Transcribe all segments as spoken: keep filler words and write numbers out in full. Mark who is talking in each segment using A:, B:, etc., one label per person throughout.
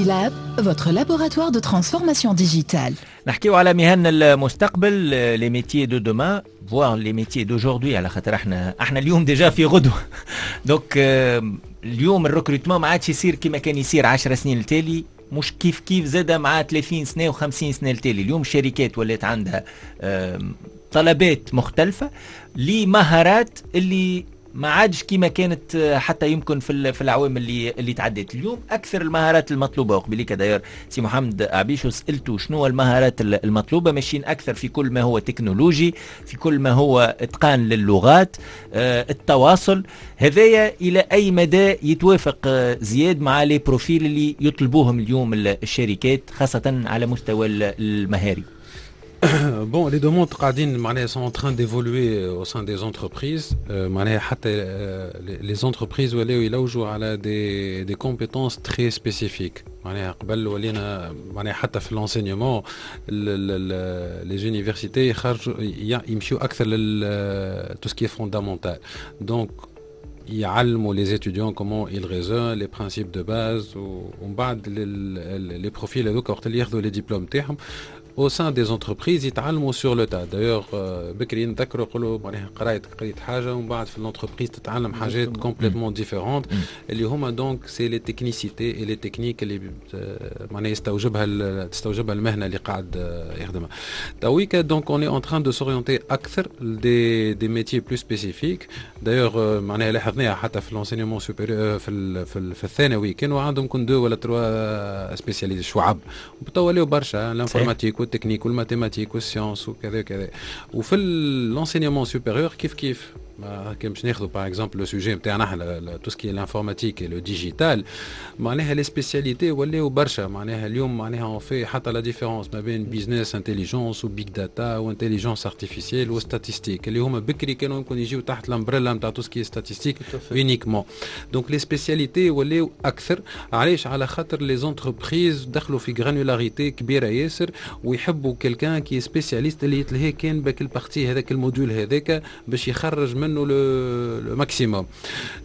A: Digilab, votre laboratoire de transformation digitale.
B: نحكيو على مهن المستقبل، les métiers de demain، voire les métiers d'aujourd'hui، على خاطر احنا احنا اليوم déjà في غدوه. donc اليوم ال recrutement ما عادش يصير كما كان يصير عشر سنين التالي، مش كيف كيف زاد مع ثلاثين سنة وخمسين سنة التالي. اليوم الشركات ولات عندها طلبات مختلفة لمهارات اللي ما عادش كما كانت حتى يمكن في في العوام اللي اللي تعدت. اليوم اكثر المهارات المطلوبه، وقبليك d'ailleurs سي محمد عبيشو سالته شنو المهارات المطلوبه، ماشيين اكثر في كل ما هو تكنولوجي، في كل ما هو اتقان للغات، آه، التواصل. هذايا الى اي مدى يتوافق آه، زياد مع les profils اللي يطلبوهم اليوم الشركات، خاصة على مستوى المهاري؟
C: Bon, les demandes قاعدين معناها sont en train d'évoluer au sein des entreprises. معناها حتى les entreprises ولاو يلوجوا على des des compétences très spécifiques. معناها قبل ولينا معناها حتى في l'enseignement، les universités يخرجوا يمشيو اكثر لل tout ce qui est fondamental، donc يعلموا les étudiants comment ils raisonnent، les principes de base، ومن بعد les profils هذوك وقت اللي ياخذوا les diplômes تاعهم au sein des entreprises يتعلموا sur le tas. d'ailleurs بكري نذكروا يقولوا معناها قرايت قريت حاجة ومن بعد في l'entreprise تتعلم حاجات complètement différentes، اللي هما donc c'est les technicités et les techniques اللي معناها يستوجبها تستوجبها المهنة اللي قاعد يخدمها تويكا. donc on est en train de s'orienter اكثر des des métiers plus spécifiques. d'ailleurs معناها لاحظناها حتى في l'enseignement supérieur، في في, في الثانوي كانوا عندهم كن deux ولا trois spécialités شعب، وتوا ولاو برشا، l'informatique وال technique وال mathématiques وال sciences وكذا وكذا. وفي l'enseignement supérieur كيف كيف، كان باش ناخذوا par exemple le sujet نتاعنا احنا، tout ce qui est l'informatique، le digital، معناها les spécialités ولاو برشا. معناها اليوم معناها on fait حتى la différence ما بين business intelligence و big data و intelligence artificielle و statistique، اللي هما بكري كانوا يمكن يجيو تحت l'ombrelle نتاع tout ce qui est statistique uniquement. donc les spécialités ولاو اكثر. علاش؟ على خاطر les entreprises دخلوا في granularité كبيرة ياسر ويحبوا quelqu'un qui est spécialiste، اللي يتلهي كان بك ال partie هذاك، ال module هذاك، باش يخرج منه le maximum.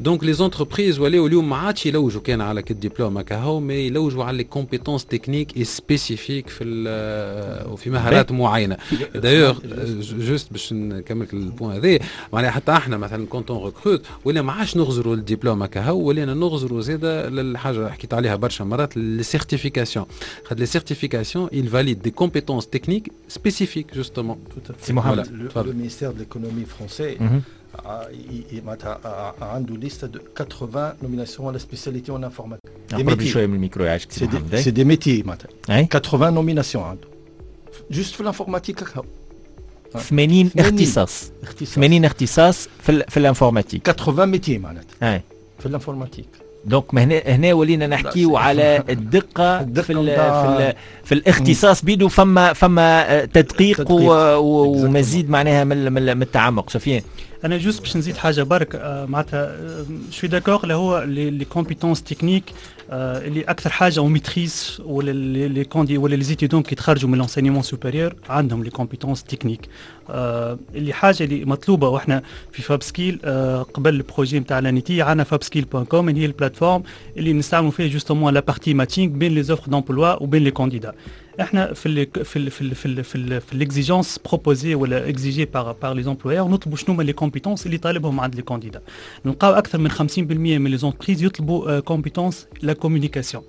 C: donc les entreprises ولاو اليوم ما عادش يلوجوا كان على الدبلوم كهو، mais يلوجوا على les compétences techniques et spécifiques في وفي مهارات معينه. d'ailleurs juste باش نكمل ال point هذا، معناها حتى احنا مثلا quand on recrute ولا ما عادش نغزروا الدبلوم كهو، ولينا نغزروا زاده للحاجة حكيت عليها برشا مرات، les certifications، خاطر les certifications ils valident des compétences techniques spécifiques justement.
B: سي محمد.
D: Le ministère de l'économie français عنده liste de quatre-vingts nominations à la spécialité en informatique.
B: Des métiers. شوية من الميكرو يعيشك.
D: C'est des métiers معناتها quatre-vingts nominations عنده juste في l'informatique.
B: ثمانين اختصاص، ثمانين اختصاص في في l'informatique.
D: quatre-vingts métiers معناتها في l'informatique.
B: donc هنا هنا ولينا نحكيو على الدقة في ال في, ال في الاختصاص بيدو، فما فما تدقيق، تدقيق ومزيد معناها من من التعمق. سفيان.
E: انا juste باش نزيد حاجة برك، معناتها je suis d'accord اللي هو les compétences techniques اللي اكثر حاجة on maîtrise، ولا les candidats ولا les étudiants كي يتخرجوا من l'enseignement supérieur عندهم les compétences techniques. اللي حاجة اللي مطلوبه، واحنا في FabSkill قبل ال projet نتاع l'ANETI عندنا FabSkill point com، اللي هي ال plateforme اللي نستعملوا فيها justement la partie matching بين les offres d'emploi وبين les candidats. احنا في ال في ال في ال في ال في, ال في l'exigence proposée ولا exigée par par les employeurs، نطلبوا شنو هما les compétences اللي طالبهم عند les candidats. نلقاو اكثر من خمسين بالمية من les entreprises يطلبوا compétence la communication،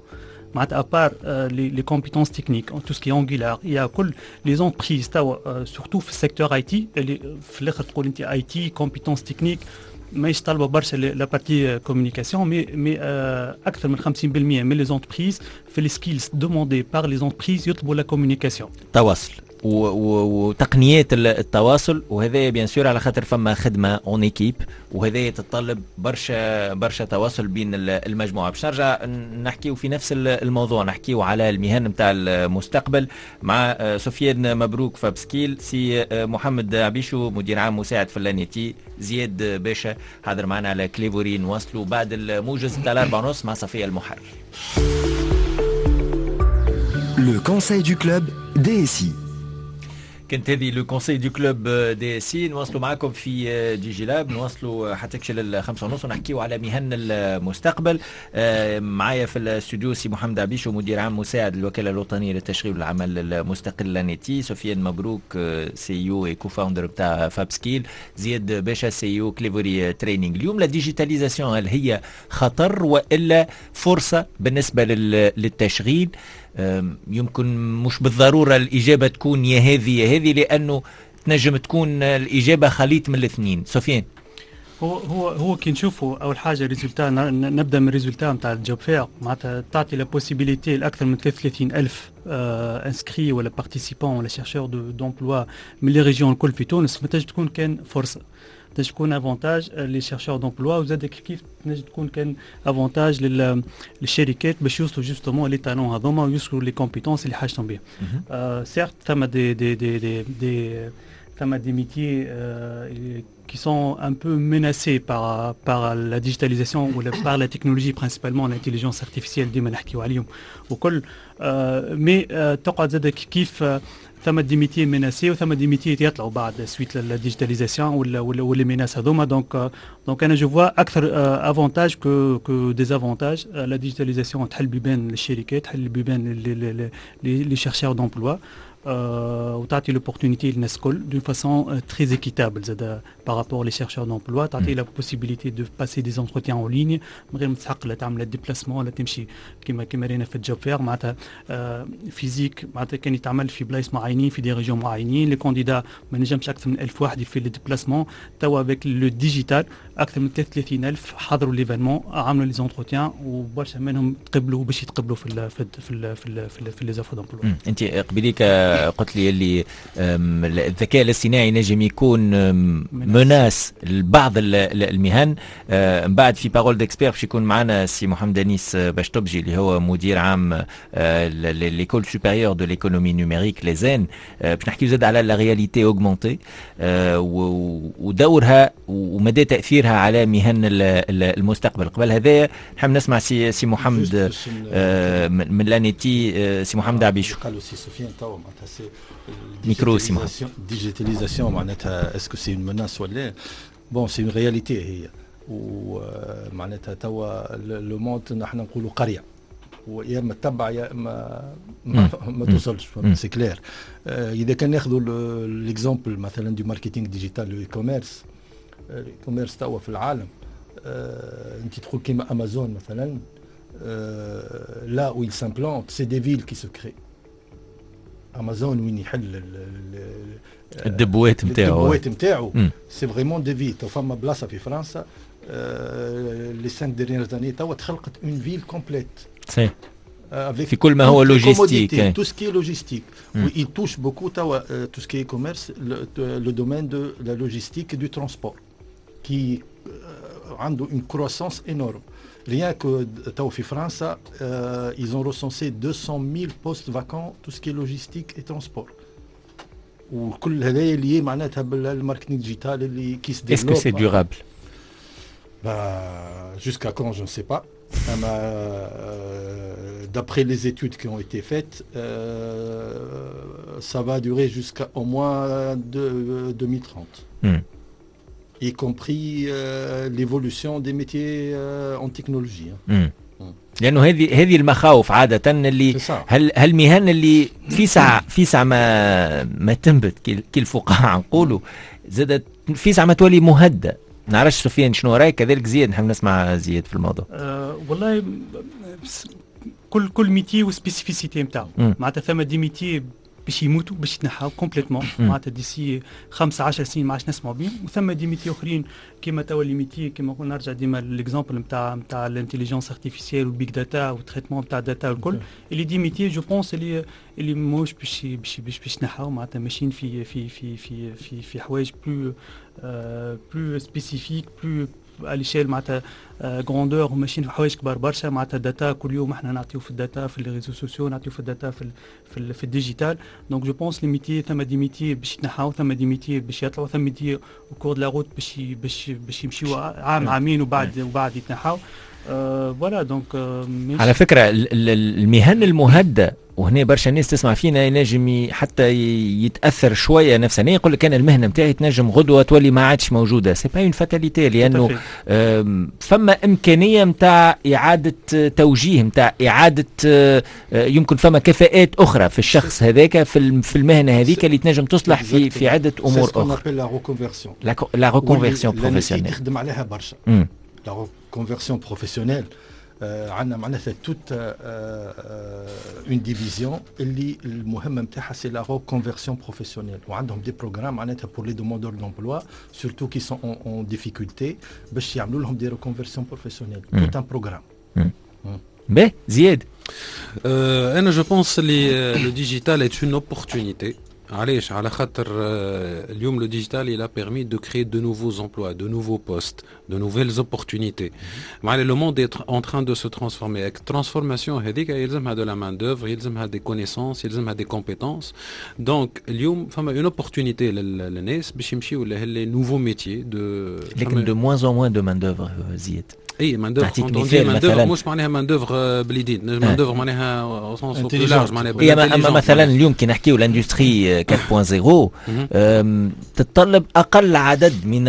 E: معناتها à part les compétences techniques، tout ce qui est Angular يا كل les entreprises توا، surtout في ال secteur IT، اللي في الاخر تقول انت IT compétences techniques ماهيش طالبه برشا la partie communication، mais mais اكثر من خمسين بالمية من les entreprises في les skills demandés par les entreprises يطلبوا la communication.
B: تواصل وتقنيات التواصل، وهذا bien sûr على خاطر فما خدمة en équipe، وهذا يتطلب برشا برشا تواصل بين المجموعه. باش نرجع نحكيو في نفس الموضوع، نحكيو على المهن نتاع المستقبل مع سفيان مبروك FabSkill، سي محمد عبيشو مدير عام مساعد في l'ANETI، زياد باشا حاضر معنا على كليفوري. نواصلوا بعد الموجز نتاع الأربعة ونص مع صفية المحرر.
F: Le conseil du club D S I.
B: كانت هذه le conseil du club DSI. نواصلوا معكم في DigiLab، نواصلوا حتى كشي للخمسة ونص ونحكيو على مهن المستقبل. معايا في الاستوديو سي محمد عبيشو، مدير عام مساعد الوكالة الوطنية للتشغيل والعمل المستقل l'ANETI، سفيان مبروك CEO et co-founder بتاع FabSkill، زياد باشا CEO Clevory Training. اليوم la digitalisation هل هي خطر والا فرصة بالنسبة للتشغيل؟ يمكن مش بالضرورة الإجابة تكون يا هذه يا هذه، لأنه تنجم تكون الإجابة خليط من الاثنين. سفيان.
E: هو هو هو كي نشوفوا اول حاجة résultat، نبدا من résultat نتاع ال job fair، معناتها تعطي la possibilité لاكثر من ثلاثة وثلاثين الف inscrits ولا participants ولا chercheurs d'emploi من les régions الكل في تونس، ما تنجم تكون كان فرصه، تنجم تكون avantage les chercheurs d'emploi، وزاد كيف كيف تنجم تكون كان avantage للشركات باش يوصلوا justement les talents هذوما ويوصلوا les compétences اللي حاجتهم بهم. certes ثم des des des des, des ثم des métiers qui sont un peu menacés par, par la digitalisation ou la, par la technologie، principalement l'intelligence artificielle ديما نحكيو عليهم وكل، mais تقعد زاد كيف ثم des métiers menacés وثم des métiers يطلعوا بعد suite la digitalisation ولا ولا ولا les menaces هذوما. donc donc انا je vois اكثر avantage que que désavantage. la digitalisation تحل بيبان للشركات، تحل بيبان les chercheurs d'emploi وتعطي l'opportunité للناس الكل d'une façon très équitable. زاد par rapport les chercheurs d'emploi، تعطي la possibilité de passer des entretiens en ligne من غير ما تسحق لا تعمل déplacement ولا تمشي كيما كيما رينا في ال job fair، معناتها physique، معناتها كان يتعمل في بلايص معينين، في des régions معينين، les candidats ما نجمش اكثر من ألف واحد في les déplacements. توا avec le digital اكثر من ثلاثة وثلاثين الف حضروا l'événement، عملوا les entretiens، وبرشا منهم تقبلوا باش يتقبلوا في ال في ال في ال في ال في, ال في les offres d'emploi.
B: انت قبليك قلت لي اللي الذكاء الاصطناعي نجم يكون menace لبعض المهن. من بعد في parole d'expert باش يكون معنا سي محمد انيس باشطبجي، اللي هو مدير عام l'école supérieure de l'économie numérique l'ESEN، باش نحكيو زاد على la réalité augmentée ودورها ومدى تاثيرها على مهن المستقبل. قبل هذا نحب نسمع سي سي محمد من l'ANETI، سي محمد عبيشو.
D: قالوا سي سفيان توا معناتها c'est
B: ميكرو سي محمد.
D: digitalisation معناتها est-ce que c'est une menace ولا bon c'est une réalité هي، ومعناتها توا le monde نحن نقولوا قريه، ويا اما تتبع يا اما ما, ما توصلش، c'est clair. اذا كان ناخذوا l'exemple مثلا du marketing digital، le e-commerce، ال e-commerce توا في العالم، انت تقول كيما امازون مثلا، là où il s'implante، c'est des villes qui se créent. امازون وين يحل
B: الدبوات نتاعو.
D: الدبوات نتاعو c'est vraiment des villes. فما بلاصة في فرنسا les cinq dernières années توا تخلقت une ville complète.
B: صحيح، في كل ما هو logistique.
D: tout ce qui est logistique. Mm. Il touche beaucoup tout ce qui est e-commerce، le, le domaine de la logistique et du transport qui a une croissance énorme. Rien que تو في فرنسا ils ont recensé deux cent mille postes vacants، tout ce qui est logistique et transport. وكل هذا lié معناتها بال marketing digital اللي qui se
B: développe. Est-ce que c'est durable؟
D: Bah, jusqu'à quand، je ne sais pas. Euh, d'après les études qui ont été faites، euh, ça va durer jusqu'à au moins de, deux mille trente. Mm. Y compris euh, l'évolution des métiers euh, en technologie.
B: Hein. Mm. لانه هذه هذه المخاوف عادة اللي هل هالمهن اللي في ساعة في ساعة ما ما تنبت كي الفقاعه نقولوا، زادت في ساعة ما تولي مهدده. نعرفش سفيان شنو رايك، كذلك زياد، نحب نسمع زياد في الموضوع.
E: أه والله كل كل métier و spécificité نتاعو، معناتها ثم des métiers باش يموتوا، باش يتنحاو complètement، معناتها d'ici خمسة عشر سنين ما عادش نسمعوا بهم، وثم des métiers اخرين كيما توا les métiers كيما نقول نرجع ديما l'exemple نتاع نتاع l'intelligence artificielle وال big data وال traitement نتاع data والكل، اللي des métiers je pense اللي اللي ماهوش باش باش باش باش يتنحاو، معناتها ماشيين في في في في في في حوايج plus plus spécifiques، plus à l'échelle معناتها grandeur، وماشيين في حوايج كبار برشا، معناتها data كل يوم احنا نعطيو في ال data في les réseaux sociaux، نعطيو في ال data في ال في, ال في ال digital. donc je pense les métiers، ثم des métiers باش يتنحاو، ثم des métiers باش يطلعوا، ثم métiers au cours de la route باش باش باش يمشيو عام عامين وبعد وبعد يتنحاو، voilà donc.
B: على فكرة المهن المهدده وهنا برشا ناس تسمع فينا ينجم حتى يتاثر شوية نفسانيا، يقول لك انا المهنة نتاعي تنجم غدوه تولي ما عادش موجوده. c'est pas une fatalité، لانه فما امكانية نتاع اعاده توجيه، نتاع اعاده آه، يمكن فما كفاءات اخرى في الشخص هذاك في في المهنة هذيك اللي تنجم تصلح في في عده امور اخرى.
D: la reconversion،
B: la reconversion professionnelle.
D: تخدم عليها برشا la reconversion professionnelle. عندنا معناتها toute une division اللي المهمة نتاعها c'est la reconversion professionnelle، وعندهم des programmes معناتها pour les demandeurs d'emploi، surtout qui sont en difficulté، باش يعملوا لهم des reconversions professionnelles، tout un programme.
B: باهي، زياد.
C: انا je pense اللي le digital est une opportunité. علاش؟ على خاطر اليوم le digital il a permis de créer de nouveaux emplois، de nouveaux postes، de nouvelles opportunités. معناها le monde est en train de se transformer. transformation هذيك يلزمها de la main d'œuvre، يلزمها des connaissances، يلزمها des compétences. donc اليوم فما une opportunité للناس باش يمشيو les nouveaux métiers de
B: لكن de moins en moins de main d'œuvre زياد.
C: اي main d'œuvre، main d'œuvre مش معناها main d'œuvre باليدين، main d'œuvre معناها au sens large معناها.
B: اما اما مثلا اليوم كي نحكيو l'industrie أربعة صفر تتطلب اقل عدد من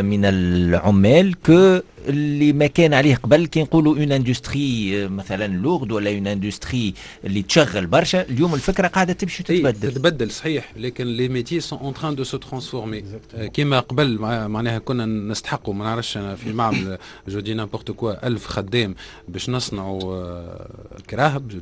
B: من العمال que اللي ما كان عليه قبل. كي نقولوا une industrie مثلا lourde ولا une industrie اللي تشغل برشا، اليوم الفكرة قاعدة تمشي وتتبدل.
C: تتبدل صحيح، لكن les métiers sont en train de se transformer. كيما قبل معناها كنا نستحقوا، ما نعرفش في معمل، je dis n'importe quoi، ألف خدام باش نصنعوا كراهب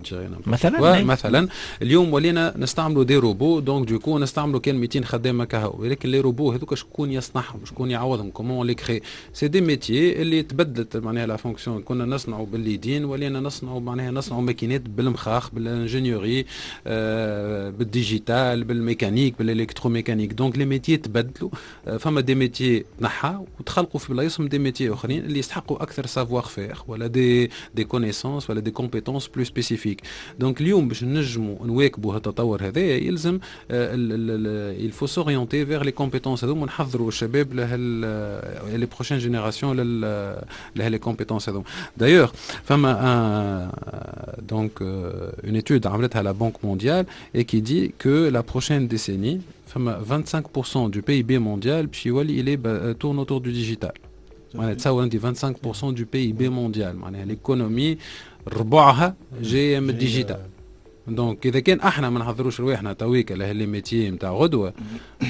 B: مثلا.
C: مثلا اليوم ولينا نستعملوا des robots، donc du coup نستعملوا كان ميتين خدام كهو. ولكن les robots هذوك شكون يصنعهم؟ شكون يعوضهم؟ comment les créer؟ c'est des métiers اللي تبدلت معناها la fonction. كنا نصنعوا باليدين، ولينا نصنعوا معناها نصنعوا ماكينات بالمخاخ، بال ingénierie، آه بال digital، بال mécanique، بال électromécanique. donc les métiers تبدلوا، آه فما des métiers تنحى وتخلقوا في بلايصهم des métiers اخرين اللي يستحقوا اكثر savoir-faire ولا des des connaissances ولا des compétences plus spécifiques. donc اليوم باش نجموا نواكبوا هالتطور هذا يلزم il faut s'orienter vers les compétences هذوما، ونحضروا الشباب لهال les prochaines générations لها les compétences هذوما. d'ailleurs فما donc une étude عملتها la Banque mondiale et qui dit que la prochaine décennie فما vingt-cinq pour cent du PIB mondial باش يولي il est tourne autour du digital. معناها تصور انت vingt-cinq pour cent du PIB mondial، معناها l'économie ربعها جاية من ال digital. donc اذا كان احنا ما نحضروش رواحنا تويكا له les métiers نتاع غدوه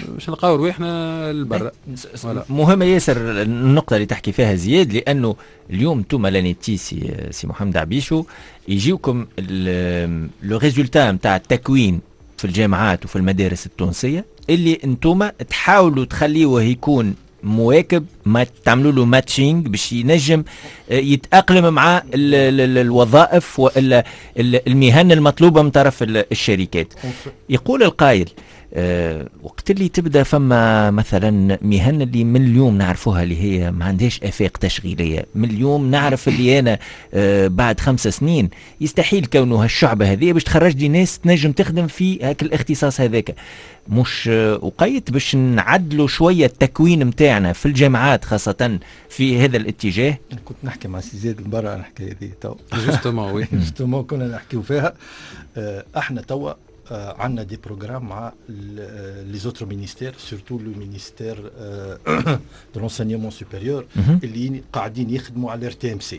C: باش نلقاو رواحنا البرا.
B: مهمة ياسر النقطة اللي تحكي فيها زياد، لانه اليوم انتم l'ANETI، سي, سي محمد عبيشو، يجيوكم le résultat نتاع التكوين في الجامعات وفي المدارس التونسية اللي انتم تحاولوا تخليوه يكون مواكب، ما تعملوا له matching باش ينجم آه، يتاقلم مع الوظائف والا المهن المطلوبة من طرف الشركات. يقول القائل أه وقت اللي تبدا فما مثلا مهن اللي من اليوم نعرفوها اللي هي ما عندهاش افاق تشغيليه، من اليوم نعرف اللي انا أه بعد خمس سنين يستحيل كونه هالشعبه هذه باش تخرج لي ناس تنجم تخدم في هاك الاختصاص هذاك، مش وقيت باش نعدلوا شوية التكوين متاعنا في الجامعات خاصة في هذا الاتجاه؟
D: كنت نحكي مع سي زياد المباراه الحكاية دي تو.
C: justement oui.
D: justement كنا نحكيو فيها. آه، احنا توا آه، عندنا des programmes مع les autres ministères، surtout le ministère de l'enseignement supérieur، اللي قاعدين يخدموا على ال RTMC.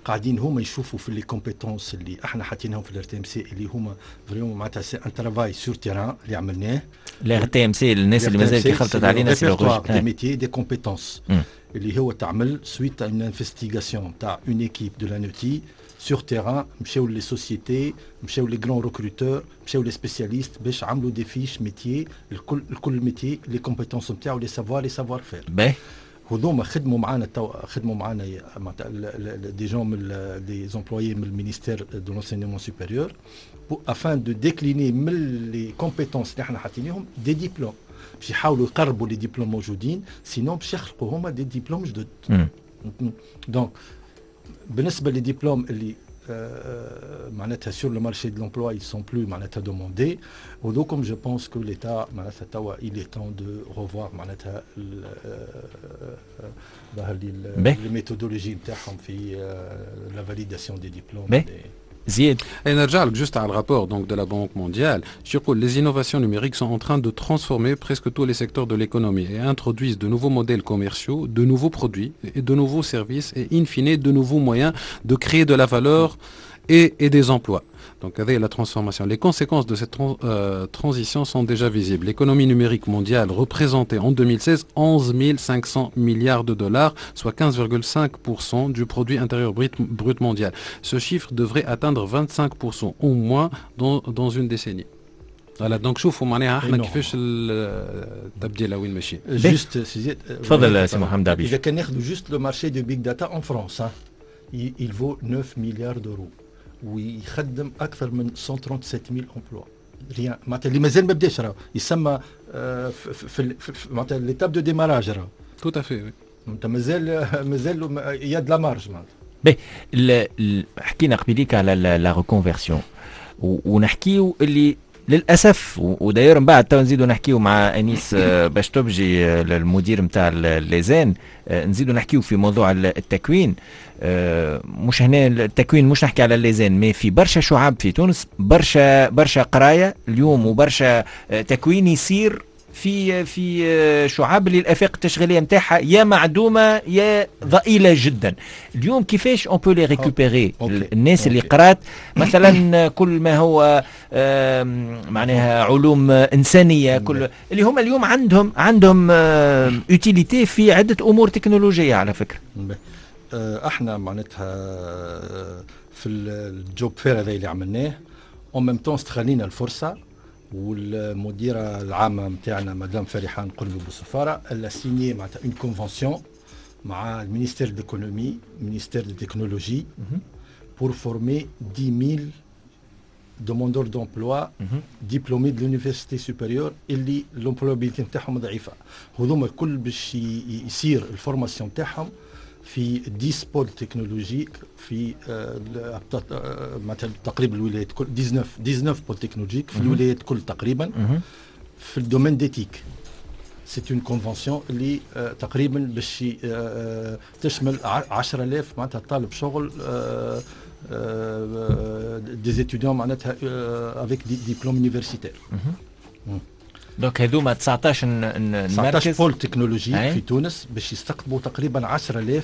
D: قاعدين هما يشوفوا في les compétences اللي احنا حاطينهم في ال RTMC، اللي هما vraiment معناتها c'est un travail sur terrain اللي عملناه.
B: ال RTMC الناس اللي مازال كي خلطت علينا،
D: c'est des métiers des compétences اللي هو تعمل suite à une investigation تاع une équipe de l'ANETI sur terrain. مشاو les sociétés، مشاو les grands recruteurs، مشاو les spécialistes باش عملوا des fiches métiers، الكل الكل métier les compétences نتاعو، les savoirs، les savoir-faire.
B: باهي.
D: هذوما خدموا معنا تو، خدموا معنا des gens من des employés من ال ministère de l'enseignement supérieur afin de décliner من les compétences اللي احنا حاطينهم des diplômes، باش يحاولوا يقربوا les diplômes موجودين، sinon باش يخلقوا هما des diplômes جدد. donc بالنسبة les diplômes اللي معناتها sur le marché de l'emploi ils sont plus معناتها demandés وذوكم، je pense que l'état معناتها توا il est temps de revoir معناتها ظهر لي les méthodologies نتاعهم في la validation des diplômes.
B: زياد.
C: نرجع لك juste على ال rapport donc de la Banque mondiale. يقول les innovations numériques sont en train de transformer presque tous les secteurs de l'économie et introduisent de nouveaux modèles commerciaux, de nouveaux produits et de nouveaux services et in fine de nouveaux moyens de créer de la valeur et, et des emplois. Donc, avec la transformation. Les conséquences de cette trans, euh, transition sont déjà visibles. L'économie numérique mondiale représentait en deux mille seize onze mille cinq cents milliards de dollars, soit quinze virgule cinq pour cent du produit intérieur brut, brut mondial. Ce chiffre devrait atteindre vingt-cinq pour cent au moins dans, dans une décennie. Voilà, donc شوفوا معناها احنا كيفاش التبديل وين ماشيين.
D: Juste.
B: تفضل سي محمد عبيش.
D: اذا كان ناخذوا juste le marché de big data en France, il vaut neuf milliards d'euros ويخدم اكثر من cent trente-sept mille emplois rien معناتها اللي مازال ما بداش، راه يسمى في, في, في معناتها l'étape de démarrage راه.
C: Tout à fait.
D: معناتها مازال مازال y a de la marge معناتها.
B: باهي، حكينا قبيليك على la reconversion ونحكيو اللي للاسف، و d'ailleurs من بعد تو نزيدوا نحكيو مع انيس باش تبجي المدير نتاع l'ESEN، نزيدوا نحكيو في موضوع التكوين. مش هنا التكوين، مش نحكي على l'ESEN، mais في برشا شعاب في تونس، برشا برشا قرايه اليوم وبرشا تكوين يصير في في شعاب اللي الافاق التشغيلية نتاعها يا معدومة يا ضئيلة جدا. اليوم كيفاش on peut les récupérer الناس اللي قرات مثلا كل ما هو معناها علوم انسانيه، كل اللي هم اليوم عندهم عندهم utilité في عده امور تكنولوجية على فكره؟
D: احنا معناتها في ال job fair هذا اللي عملناه، en même temps استغلينا الفرصه، والمديره العامة نتاعنا مدام فريحان قربي بوصفاره elle a signé معناتها une convention مع ال ministère de l'économie، ministère de technologie، pour former dix mille demandeurs d'emploi diplômés de l'université supérieure اللي l'employabilité نتاعهم ضعيفه. هذوما الكل باش يصير ال formation نتاعهم في dix pôles technologiques في مثلا تقريبا الولايات كل، تسعطاش تسعطاش pôles technologiques في الولايات كل تقريبا في ال domaine des TIC. c'est une convention اللي تقريبا باش تشمل عشرة آلاف معناتها طالب شغل، des étudiants معناتها avec des diplômes universitaires.
B: Donc هذوما تسعطاش
D: تسعطاش pôles technologiques في تونس باش يستقطبوا تقريبا عشرة آلاف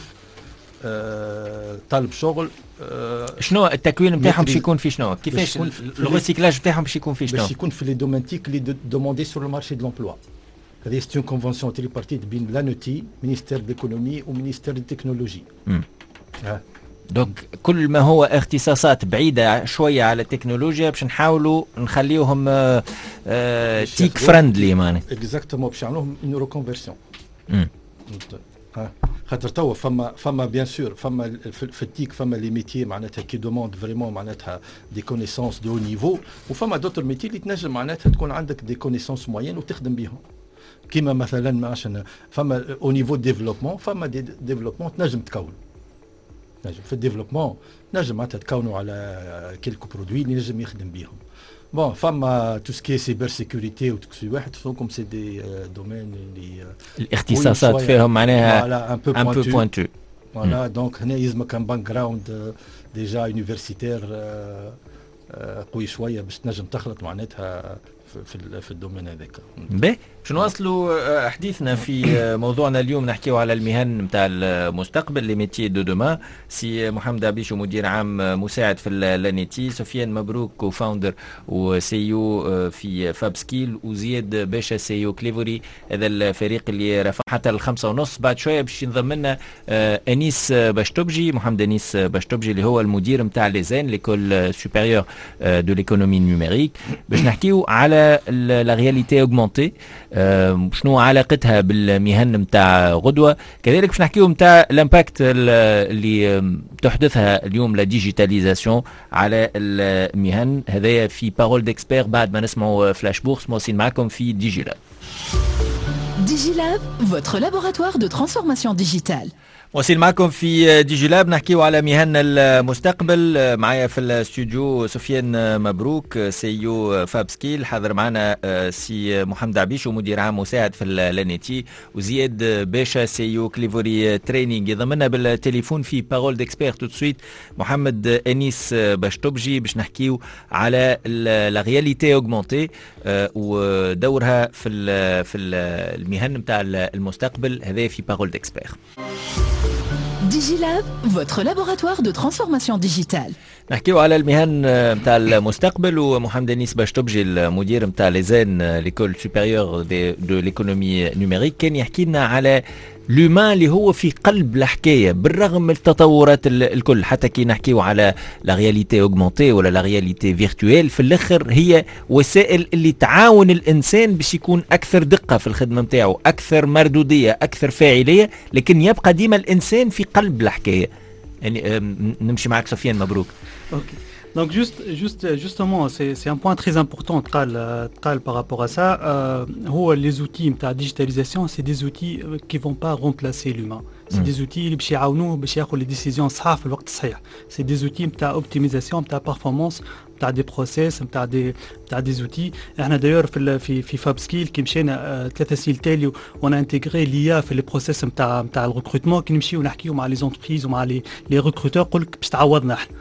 D: آه، طالب شغل.
B: آه، شنو التكوين نتاعهم باش يكون في شنو؟ كيفاش ال recyclage نتاعهم باش يكون في شنو؟
D: باش يكون في les domaines TIC اللي demandés sur le marché de l'emploi. هذه c'est une convention tripartite بين l'ANETI، ministère de l'économie و ministère de technologie.
B: Donc كل ما هو اختصاصات بعيدة شوية على التكنولوجيا باش نحاولوا نخليوهم TIC friendly معناها.
D: Exactement، باش يعملوهم une reconversion. خاطر توا فما فما bien sûr فما في, في ال TIC فما les métiers معناتها qui demandent vraiment معناتها des connaissances de haut niveau، وفما d'autres métiers اللي تنجم معناتها تكون عندك des connaissances moyennes وتخدم بيهم، كيما مثلا عشان فما au niveau développement، فما des développements تنجم تكون نجم في ال développement نجم معناتها تكونوا على quelques produits اللي نجم يخدم بيهم. Bon، فما tout ce qui est cybersécurité و tout واحد comme c'est des domaines اللي
B: الاختصاصات فيهم معناها
D: un peu
B: un peu pointu.
D: Voilà، donc هنا يلزمك un background déjà universitaire قوي شوية باش تنجم تخلط معناتها في في ال domaine هذاك.
B: باهي، باش نواصلوا آه، حديثنا في آه، موضوعنا اليوم، نحكيو على المهن نتاع المستقبل، les métiers de demain. سي محمد عبيشو مدير عام مساعد في l'ANETI، سفيان مبروك co-founder و CEO في FabSkill، وزياد باشا CEO Clevory. هذا الفريق اللي رافق حتى الخمسة ونص. بعد شوية باش ينضم لنا آه، انيس باشتوبجي، محمد انيس باشتوبجي اللي هو المدير نتاع l'ESEN، l'école supérieure de l'économie numérique، باش نحكيو على la réalité augmentée، شنو علاقتها بالمهن نتاع غدوه. كذلك باش نحكيو نتاع l'impact اللي تحدثها اليوم la digitalisation على المهن. هذايا في parole d'expert بعد ما نسمعوا flash bourse. مواصلين معكم في DigiLab.
A: DigiLab, votre laboratoire de transformation digitale.
B: واصل معكم في Digilab، نحكيو على مهن المستقبل. معايا في الاستوديو سفيان مبروك، CEO FabSkill، حاضر معنا سي محمد عبيشو، مدير عام مساعد في l'ANETI، وزياد باشا، CEO Clevory Training. يضمنا بالتليفون في parole d'expert tout de suite محمد انيس باشتوبجي باش نحكيو على la réalité augmentée ودورها في في المهن نتاع المستقبل. هذا في parole d'expert.
A: Digilab, votre laboratoire de transformation digitale.
B: نحكيو على المهن نتاع المستقبل، ومحمد انيس باشتوبجي، المدير نتاع l'ESEN، l'école supérieure de l'économie numérique، كان يحكي لنا على l'humain اللي هو في قلب الحكاية بالرغم من التطورات الكل. حتى كي نحكيو على la réalité augmentée ولا la réalité virtuelle، في الاخر هي وسائل اللي تعاون الانسان باش يكون اكثر دقه في الخدمة نتاعو، اكثر مردوديه، اكثر فاعليه، لكن يبقى ديما الانسان في قلب الحكايه. يعني نمشي معك سفيان مبروك.
E: OK. Donc juste, juste, justement, c'est, c'est un point très important تقال تقال par rapport à ça. Euh, هو les outils نتاع digitalisation, c'est des outils qui vont pas remplacer l'humain. C'est des outils اللي باش يعاونوه باش ياخذ les décisions صحاح في الوقت الصحيح. C'est des outils نتاع optimisation نتاع performance نتاع des process نتاع des نتاع des outils. احنا d'ailleurs في في في FabSkill كي مشينا ثلاثة سنين تالي on a intégré l'IA في les process نتاع نتاع ال recrutement. كي نمشيو نحكيو مع les entreprises ومع les les recruteurs يقول لك باش تعوضنا احنا،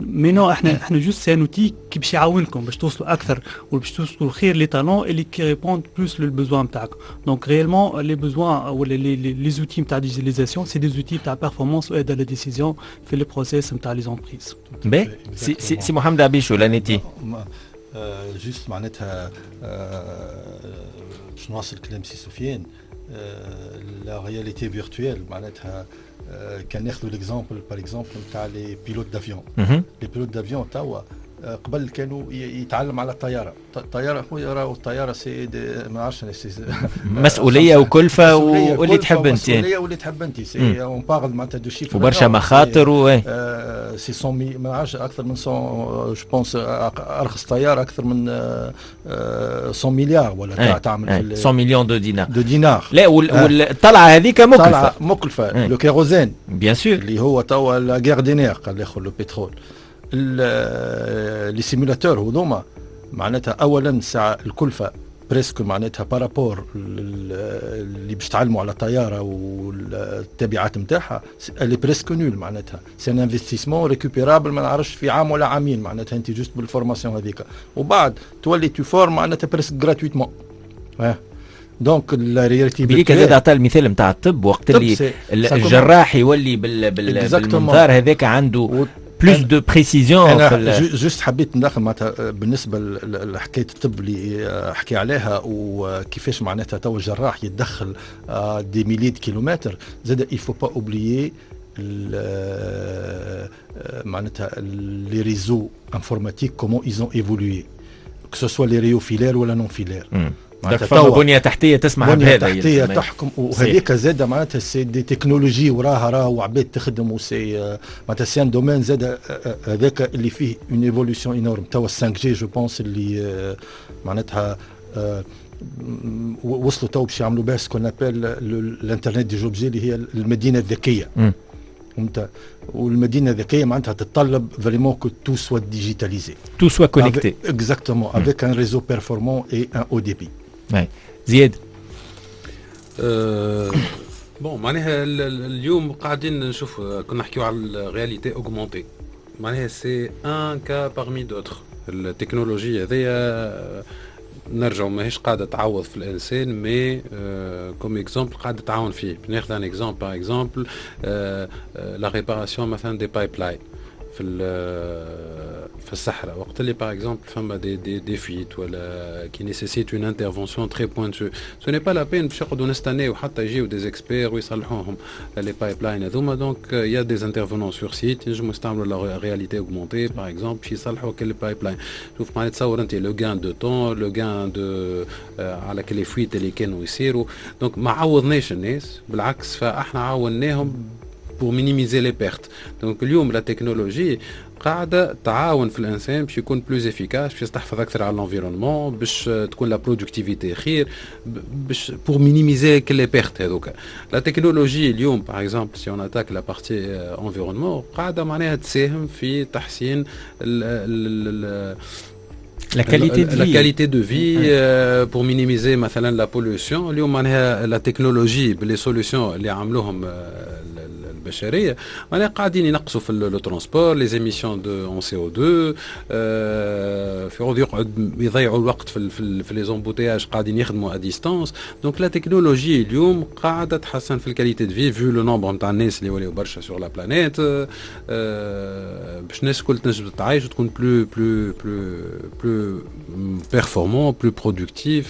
E: mais non، احنا احنا juste c'est un outil كي باش يعاونكم باش توصلوا اكثر وباش توصلوا خير les talents اللي qui répondent plus لل besoin نتاعكم. donc réellement les besoins ولا les les outils نتاع digitalisation، c'est des outils نتاع performance و aide à la décision في les process نتاع les entreprises.
B: باهي، سي سي, سي محمد عبيشو، l'ANETI.
D: juste معناتها باش نواصل كلام سي سفيان، la réalité virtuelle معناتها كان ناخذوا l'exemple par exemple نتاع les pilotes d'avion. les pilotes d'avion توا قبل كانوا يتعلم على الطياره. الطيارة خويا، راهو الطيارة c'est ما نعرفش
B: مسؤولية وكلفه واللي تحب انت.
D: مسؤولية واللي تحب انت، c'est on parle معناتها de chiffres
B: وبرشا مخاطر و
D: c'est مية، ما نعرفش، اكثر من مية je pense، ارخص طيارة اكثر من مية مليار ولا
B: تعمل في مية millions de dinars.
D: de dinars.
B: لا، والطلعه هذيك مكلفه.
D: طلعه مكلفه، le kérosène
B: bien sûr.
D: اللي هو توا la guerre des nerfs، قال الاخر le pétrole. les simulateurs هذوما معناتها اولا ساعة الكلفة presque معناتها par rapport اللي باش تعلموا على الطيارة والتبعات نتاعها elle est presque nulle. معناتها c'est un investissement récupérable ما نعرفش في عام ولا عامين، معناتها انت juste بال formation هذيك وبعد تولي tu formes معناتها presque gratuitement. donc la réalité
B: بيك زاد عطى المثال نتاع الطب، وقت اللي الجراح يولي بال بال بالمنظار هذاك عنده plus de précision.
D: انا juste حبيت ندخل معناتها بالنسبة لحكاية الطب اللي حكي عليها وكيفاش معناتها تو الجراح يتدخل des milliers de kilomètres. زاد il faut pas oublier معناتها les réseaux informatiques، comment ils ont évolué، que ce soit les réseaux filaires ولا non filaires.
B: معناتها بنيه تحتيه تسمح
D: بهذا. بنيه تحتيه تحكم، وهذيك زاد معناتها c'est des technologies وراها راه وعباد تخدم، و c'est معناتها c'est un domaine زاد هذاك اللي فيه une évolution énorme. توا خمسة G je pense اللي معناتها وصلوا تو باش يعملوا بها ce qu'on appelle l'internet des objets، اللي هي المدينة الذكيه، فهمت؟ والمدينة الذكية معناتها تتطلب vraiment que tout soit digitalisé.
B: tout soit connecté.
D: exactement، avec un réseau performant et un haut débit.
B: زياد.
C: أه bon، معناها اليوم قاعدين نشوف، كنا نحكيو على ال réalité augmentée، معناها c'est un cas parmi d'autres. التكنولوجيا هذيا نرجعوا ماهيش قاعدة تعوض في الانسان، mais comme exemple قاعدة تعاون فيه. ناخذ un exemple، par exemple la réparation مثلا des pipelines في في الصحراء، وقت اللي par exemple فما des des des fuites ولا qui nécessitent une intervention très pointue، ce n'est pas la peine باش نقعدوا نستناو حتى يجيو des experts ويصلحوهم les pipelines هذوما. donc y a des intervenants sur site ينجموا يستعملوا la réalité augmentée par exemple باش يصلحوا كل pipeline. شوف معناها تصور انت le gain de temps، le gain de على كل fuites اللي كانوا يصيروا. donc ما عوضناش الناس، بالعكس فاحنا عاوناهم pour minimiser les pertes. Donc اليوم la technologie قاعدة تعاون في الانسان باش يكون plus efficace، باش يستحفظ اكثر على l'environnement، باش تكون la productivité خير، باش pour minimiser كل les pertes هذوك. la technologie اليوم par exemple، si on attaque la partie environnement، قاعدة معناها تساهم في تحسين ال
B: la qualité de
C: la qualité de vie، pour minimiser مثلا la pollution. اليوم معناها la technologie ب les solutions اللي عملوهم البشرية معناها قاعدين ينقصوا في le transport، les émissions de en سي أو دو، في عوض يقعد يضيعوا الوقت في في, في les embouteillages قاعدين يخدموا à distance. donc la technologie اليوم قاعدة تحسن في ال qualité de vie، vu le nombre نتاع الناس اللي ولاو برشا sur la planète، باش الناس الكل تنجم تتعايش وتكون plus plus plus plus performant، plus productif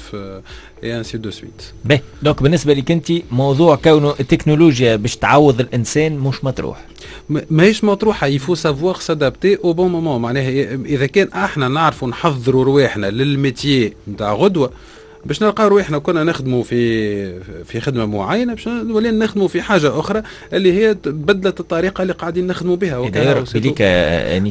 C: et ainsi de suite.
B: باهي، donc بالنسبة لك انت موضوع كونه التكنولوجيا باش تعوض الانسان مش مطروح؟
C: ماهيش مطروحه، il faut savoir s'adapter au bon moment. معناها اذا كان احنا نعرفوا نحضروا رواحنا لل métier نتاع غدوه، باش نلقاو رواحنا كنا نخدموا في في خدمة معينه، باش نولي نخدموا في حاجة اخرى اللي هي بدلت الطريقة اللي قاعدين نخدموا بها.
B: بليك.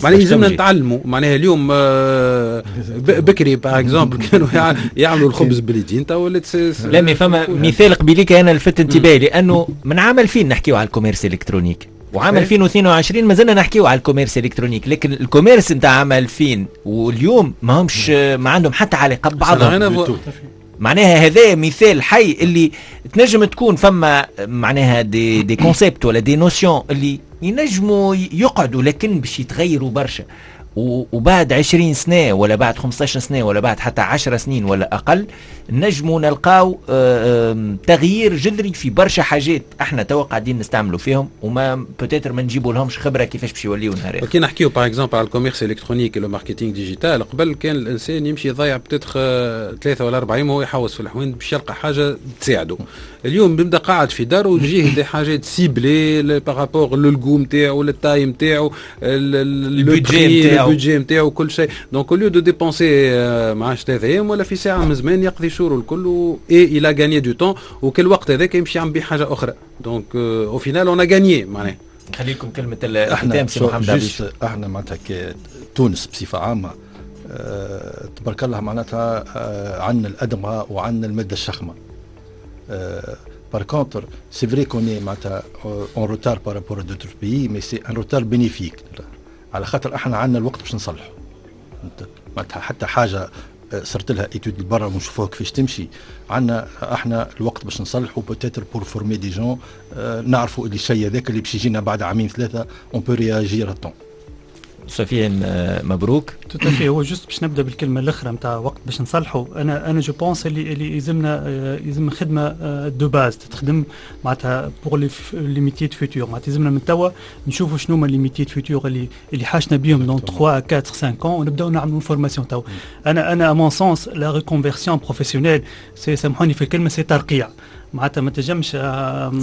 C: معناها يلزمنا نتعلموا. معناها اليوم آه، بكري par exemple كانوا يعملوا الخبز باليدين، تو ولات
B: لا، mais فما مثال قبيليك انا لفت انتباهي، لانه من عام ألفين نحكيو على ال commerce électronique، وعام ألفين واثنين وعشرين مازلنا نحكيو على ال commerce électronique، لكن ال commerce نتاع عام ألفين واليوم ما همش ما عندهم حتى علاقة ببعضهم. معناها هذا مثال حي اللي تنجم تكون فما معناها des des concepts ولا des notions اللي ينجموا يقعدوا، لكن باش يتغيروا برشا، وبعد عشرين سنة ولا بعد خمسطاش سنة ولا بعد حتى عشر سنين ولا أقل نجموا نلقاو تغيير جذري في برشا حاجات احنا توا قاعدين نستعملوا فيهم، وما peut-être ما نجيبوا لهمش خبره كيفاش باش يوليو نهار.
C: كي نحكيو par exemple على ال commerce électronique، le marketing digital، قبل كان الانسان يمشي يضيع peut-être ثلاثة ولا أربع ايام وهو يحوس في الحوانت باش يلقى حاجة تساعده. اليوم بيبدا قاعد في داره ويجيه des حاجات ciblées par rapport لل goût نتاعو، لل taille نتاعو،
B: ال budget نتاعو.
C: ال budget نتاعو، كل شيء. donc au lieu de dépenser ما عادش ثلاثة ايام ولا في ساعة من زمان يقضي شورو الكل، et il a gagné du temps، وكل وقت هذاك يمشي يعمل بيه حاجة اخرى. donc au final on a gagné معناها.
B: نخلي لكم كلمة الختام، سي محمد.
D: juste احنا معناتها تونس بصفة عامة أه تبارك الله معناتها أه عندنا الادمغه وعندنا المادة الشخمه. par contre c'est vrai qu'on est معناتها en retard par rapport à d'autres pays، mais c'est un retard bénéfique، على خاطر احنا عندنا الوقت باش نصلحوا. معناتها حتى حاجة صرت لها étude برا ونشوفوها كيفاش تمشي، عندنا احنا الوقت باش نصلحوا، peut-être pour former des gens، نعرفوا اللي الشيء هذاك اللي باش يجينا بعد عامين ثلاثه، on peut réagir à temps.
B: سفيان مبروك.
E: tout à fait. هو juste باش نبدا بالكلمة الاخرى نتاع وقت باش نصلحوا، انا انا je pense اللي اللي يلزمنا يلزم خدمة de base تخدم معناتها pour les les métiers du futur. معناتها يلزمنا من توا نشوفوا شنو هما les métiers du futur اللي اللي حاجتنا بيهم dans ثلاثة أربعة خمسة ans، ونبداو نعملوا formation توا. انا انا à mon sens la reconversion professionnelle c'est، سامحوني في الكلمه، c'est ترقيع. معناتها ما تنجمش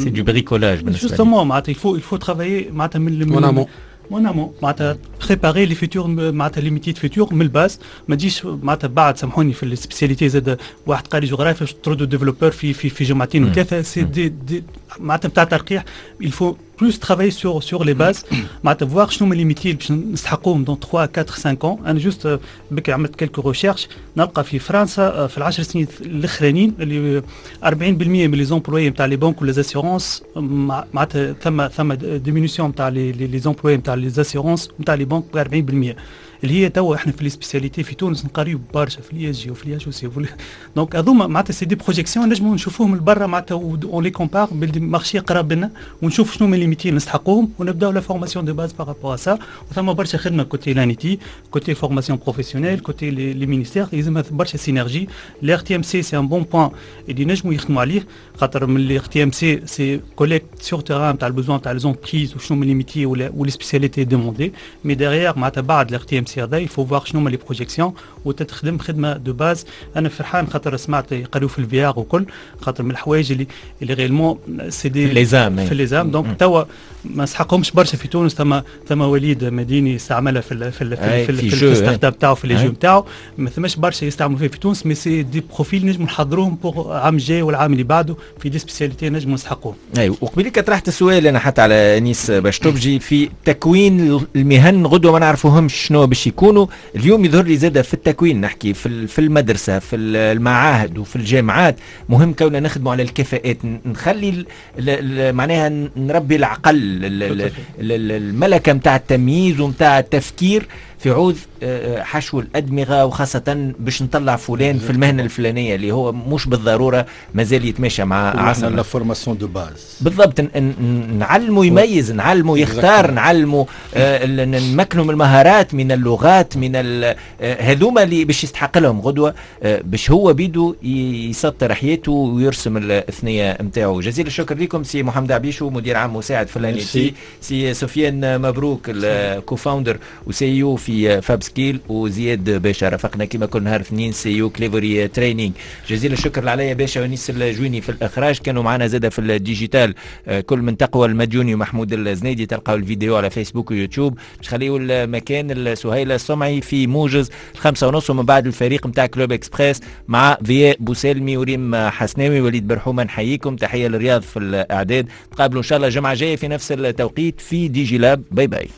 B: c'est du bricolage.
E: بالنسبة justement معناتها il faut il faut travailler معناتها
C: من
E: en amont، معناتها préparer les futurs، معناتها les métiers du futur من ال base. ما تجيش معناتها بعد، سامحوني في ال spécialité زاد، واحد قاري جغرافيا باش تردوا développeur في في في جمعتين وثلاثه، c'est des, des معناتها نتاع ترقيع. il faut plus travailler sur sur les bases، معناتها voir شنو هما les métiers باش نستحقوهم dans ثلاثة أربعة خمسة ans. انا juste بكري عملت quelques recherches، نلقى في فرنسا في العشر سنين الاخرانيين اللي أربعين بالمية من les employés نتاع les banques و les assurances، معناتها ثم ثم diminution نتاع les les employés نتاع les assurances نتاع les banques ب أربعين بالمية. اللي هي توا احنا في les spécialités في تونس نقريو برشا في l'ISG وفي l'IHEC، donc هذوما معناتها c'est des projections نجموا نشوفوهم من برا، معناتها on les compare بال marché قراب لنا، ونشوف شنو هما les métiers نستحقوهم ونبداو la formation de base par rapport à ça. وثم برشا خدمة côté l'ANETI، côté formation professionnelle، côté les ministères، يلزمها برشا synergie. l'ERTMC c'est un bon point اللي نجموا يخدموا عليه، خاطر من l'ERTMC c'est collecte sur terrain تاع ال besoin تاع les entreprises وشنو هما les métiers ولا les spécialités demandées، mais derrière معناتها بعد l'ERTMC dossier هذا، il faut voir شنو هما les projections وتتخدم خدمة de base. انا فرحان خاطر سمعت يقريو في ال VR وكل، خاطر من الحوايج اللي اللي réellement c'est des
B: les A M.
E: في les A M. donc توا ما نسحقهمش برشا في تونس. ثم ثم وليد مديني استعملها في ال في ال في, ال في, في, في ال startup تاعو، في les jeux نتاعو. ما ثماش برشا يستعملوا فيه في تونس، mais c'est des profils نجموا نحضروهم pour عام جاي والعام اللي بعده في des spécialités نجموا نسحقوهم.
B: اي، وقبيلك طرحت السؤال انا حتى على انيس باش في تكوين المهن، غدوه ما نعرفوهمش شنو باش يكونوا. اليوم يظهر لي زاد في التكوين، نحكي في في المدرسه، في المعاهد وفي الجامعات، مهم كوننا نخدموا على الكفاءات، نخلي معناها نربي العقل، الملكة نتاع التمييز ونتاع التفكير في عوض آه، آه، حشو الأدمغة، وخاصة باش نطلع فلان في المهنة الفلانية اللي هو مش بالضرورة مازال يتماشى مع
D: عصر. la formation de base.
B: بالضبط، نعلمه يميز، نعلمه يختار، نعلمه آه، نمكنه من المهارات، من اللغات، من هذوما اللي باش يستحق لهم غدوة باش هو بيدو يسطر حياته ويرسم الثنية نتاعو. جزيل الشكر لكم، سي محمد عبيشو، مدير عام مساعد في l'ANETI، سي سفيان مبروك، ال co-founder و CEO في FabSkill، وزياد باشا رافقنا كما كل نهار اثنين، CEO Clevory Training. جزيل الشكر لعليا باشا ونيس الجويني في الاخراج. كانوا معنا زاده في ال digital آه، كل من تقوى المديوني ومحمود الزنيدي. تلقاو الفيديو على فيسبوك ويوتيوب. باش خليوا المكان السهيلة السمعي في موجز الخمسة ونص، ومن بعد الفريق نتاع Club Express مع ضياء بوسالمي وريم حسناوي وليد برحومه. نحييكم، تحية للرياض في الاعداد. تقابلوا ان شاء الله الجمعة الجاية في نفس التوقيت في DigiLab. bye bye.